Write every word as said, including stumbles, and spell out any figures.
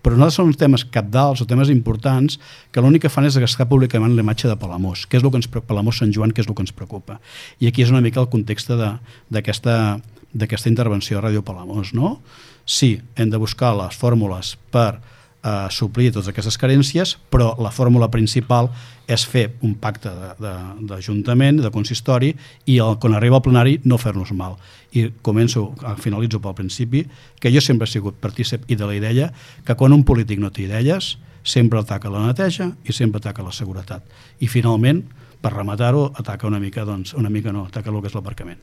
però no són temes cabdals o temes importants que l'únic que fan és gastar públicament la imatge de Palamós, que és el que ens, Palamós Sant Joan, que és el que ens preocupa. I aquí és una mica el context d'aquesta d'aquesta intervenció a Ràdio Palamós, no? Sí, hem de buscar les fórmules per eh, suplir totes aquestes carències, però la fórmula principal és fer un pacte d'Ajuntament, de, de, de consistori, i el, quan arriba al plenari no fer-nos mal. I començo, finalitzo pel principi, que jo sempre he sigut partícip i de la idea que quan un polític no té idees, sempre ataca la neteja i sempre ataca la seguretat. I finalment, per rematar-ho, ataca una mica, doncs, una mica no, ataca el que és l'aparcament.